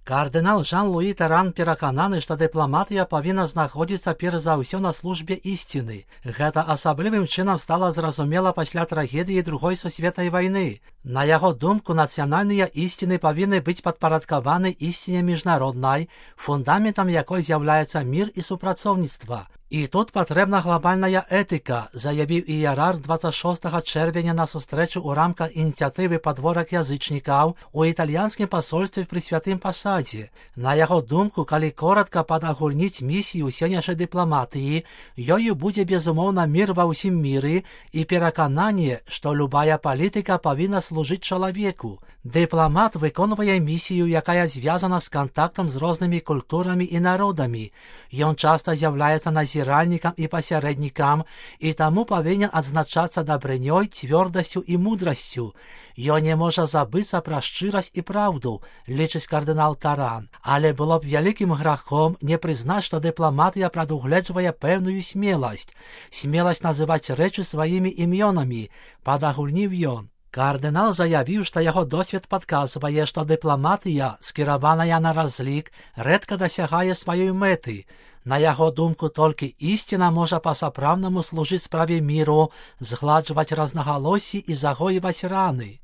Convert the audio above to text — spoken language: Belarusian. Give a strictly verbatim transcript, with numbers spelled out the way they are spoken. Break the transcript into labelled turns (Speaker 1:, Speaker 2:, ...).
Speaker 1: Кардынал Жан-Луі Тэран перакананы, што дыпламатыя павінна знаходзіцца перш за ўсё на службе ісціны. Гэта асаблівым чынам стала зразумела пасля трагедыі другой сусветнай вайны. На яго думку, нацыянальныя ісціны павінны быць падпарадкаваны ісціне міжнароднай, фундаментам якой з'яўляецца мір і супрацоўніцтва. І тут патрэбна глобальная этыка, заявіў іерарх дваццаць шостага чэрвеня на сустрэчу ў рамках ініцыятывы «Падворак язычнікаў» у італьянскім пасольстве пры святым пасадзе. На яго думку, калі коратка падагульніць місію сённяшняй дыпламатыі, ёю будзе безумоўна мір ва ўсім міры і перакананне, што любая палітыка павінна служыць чалавеку. Дыпламат выконвае місію, якая звязана з кантактам з рознымі культурамі і народамі. Ён часта з'яўляецца назіральнікам і пасярэднікам, і таму павінен адзначацца дабрынёй, цвёрдасцю і мудрасцю. Ён не можа забыцца пра шчырасць і праўду, лічыць кардынал Тэран. Але было б вялікім грахом не прызнаць, што дыпламатыя прадугледжвае пэўную смеласць. Смеласць называць рэчы сваімі імёнамі, падагульніў ён. Кардынал заявіў, што яго досвед падказвае, што дыпламатыя, скіраваная на разлік, рэдка дасягае сваёй мэты. На яго думку, толькі ісціна можа па-сапраўднаму служыць справе міру, згладжваць рознагалоссі і загоіваць раны.